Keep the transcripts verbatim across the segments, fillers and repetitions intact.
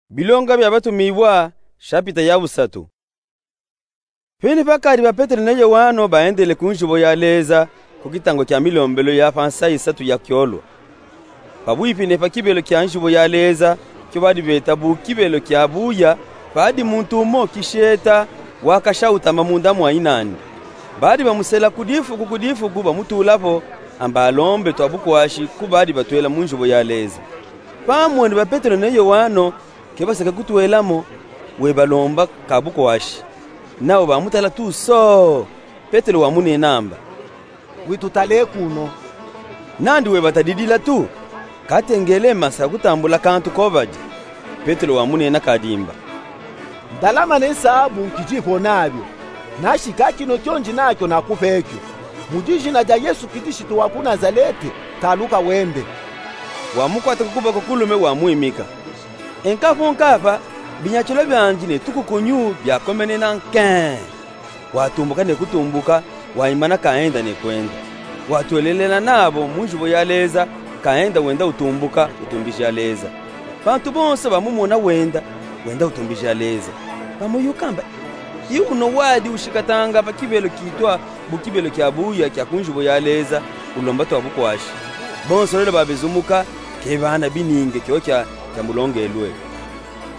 Bilonga bia Batumibua, shapita ya busatu. Pene pakadi ba Petelo ne Yoano baendele ku nzubo ya Leza, ku kitangu kia milombelu ya pa nsayi isatu ya kiolwa. Pabuipi ne pa kibelo kia nzubo ya Leza, kio badi beta bu kibelo kia buya, padi muntu umo kisheta, wakasha utama munda mwa inandi. Badi bamusela ku difuku ku difuku bamutula po, amba alombe twa bukwashi ku badi batwela mu nzubo ya Leza. Pamwene ba Petelo ne Yoano, ke basaka kutwela mo, webalomba ka bukwashi. Nawu bamutala tu so. Petelo wamunena amba: Witutale kuno. Nandi webatadidila tu, katengele masa kutambula kantu ko badi. Petelo wamunena kadimba: Ndalama ne nsabu nkidi po nabio, nansha kinu kio ndi nakio nakupe kio. Mu dijina dia Yesu Kilisitu wa ku Nazalete, taluka wende. Wamukwata ku kuboko kulume wamwimika. E nkapo nkapa, binyakilu biandi ne tukukunyu biakomenena nke. Watumbuka ne kutumbuka, waimana kaenda ne kwenda. Watwelelela nabo mu nzubo ya Leza, kaenda wenda utumbuka, utumbija Leza. Bantu bonso bamumona wenda, wenda utumbija Leza. Bamuyuka amba: I uno wadi ushikatanga pa kibelo kitwa bu kibelo kia buya kia ku nzubo ya Leza, ulomba twa bukwashi. Bonso lolo babezumuka, ke bana bininge kio kia, kia mulongelwe.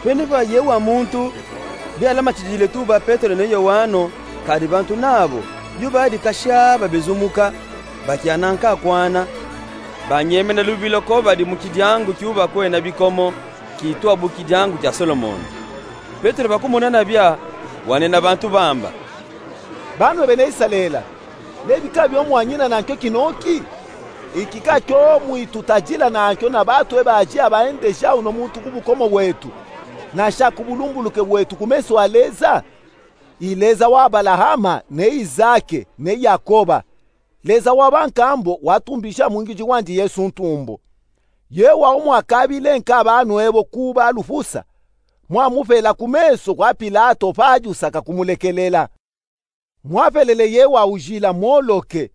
Pene pa ye wa muntu, bialamatidile tu ba Petelo ne Yoano, kadi bantu nabo, yu badi kasha babezumuka, bakiana nkakwana, banyemena lubilo ko badi mu kidiangu kiubakwena bikomo, kitwa bu kidiangu kia Solomona. Petelo bakumona nabia, wanena bantu bamba: Banwe bena Isalela, nebi ka bio mwanyina nankio kinoki? Iki ka kio mwitutadila nankio na bantu eba aji abaendeja uno muntu ku bukomo bwetu, nansha ku bulumbuluke bwetu ku meso a Leza? I Leza wa Abalahama, ne Izake, ne Yakoba, Leza wa bankambo watumbija mwingiji wandi Yesu ntumbo. Ye wa umwakabile nka banwe bo kuba lufusa, mwamupela ku meso kwa Pilato pajusaka kumulekelela. Mwapelele ye wa ujila mwoloke,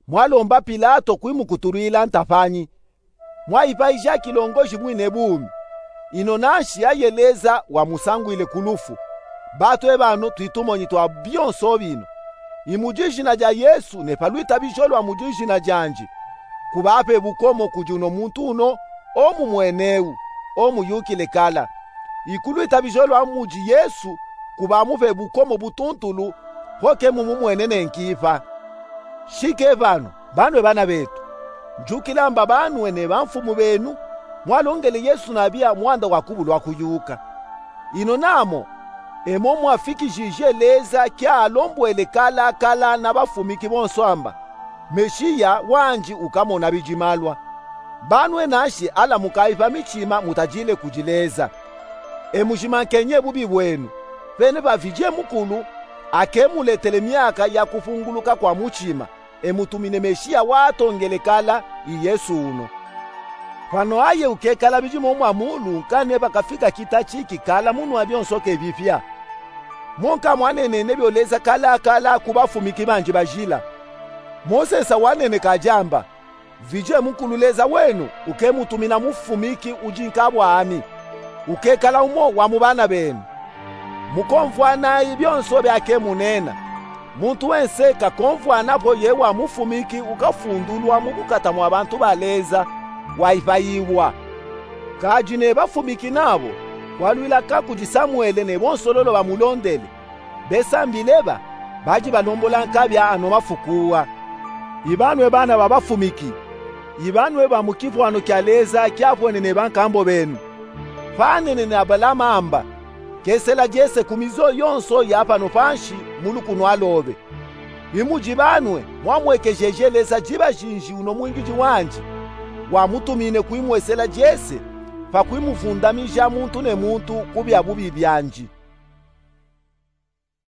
mwalomba Pilato kwimukutulwila ntapanyi. Mwaipayija kilongoji mwine bumi. Ino nanshi aye Leza wamusangwile ku lufu. Bantu eba ano twitumonyi twa bionso bino. I mu dijina dia Yesu ne pa lwitabijo lwa mu dijina diandi, kubape bukomo kudi uno muntu uno, o mumweneu, o muyukile kala. I ku lwitabijo lwa mudi Yesu, kubamupe bukomo butuntulu, ho ke mumumwene ne nkipa. Shike pano, banwe bana betu. Njukila amba banwe ne bamfumu benu, mwalongele Yesu nabia mwanda wa kubulwa kuyuka. Ino namo, emo mwafikijije Leza kia alombwele kala kala na bafumiki bonso amba: Meshiya wandi ukamona bidimalwa. Banwe nanshi ala mukaipa mitima mutadile kudi Leza. E mujimankenye bubi bwenu. Pene pa Vidiye Mukulu, ake muletele miaka ya kupunguluka kwa mutima, e mutumine Meshiya watongele kala, i Yesu uno. Pano aye ukekala bidimo mwa mulu, nkane pakafika kita ki kikala munwa bionso ke bipia. Mo nka mwanenene bio Leza kala kala ku bafumiki bandi bajila. Mosesa wanene kadi amba: Vidiye Mukulu Leza wenu uke mutumina mufumiki udi nka bwami, ukekala umo wa mu bana benu. Mukomvwanayi bionso biake munena. Muntu wense kakomvwana po ye wa mufumiki ukafundulwa mu bukata mwa bantu ba Leza, waipayibwa. Kadi ne bafumiki nabo, kwalwila ka kudi Samuele ne bonso lolo bamulondele. Besambile ba, badi balombola nka bia ano mafuku wa. I banwe bana ba bafumiki. I banwe ba mu kivwano kia Leza kiavwene ne bankambo benu. Panenene Abalama amba: Kesela diese ku mizo yonso ya pano pansi, mu lukunwa lobe. I mudi banwe mwamwekejeje Leza diba dinji uno mwingidi wandi, wamutumine kuimwesela diese, pa kuimuvundamija muntu ne muntu ku bia bubi biandi.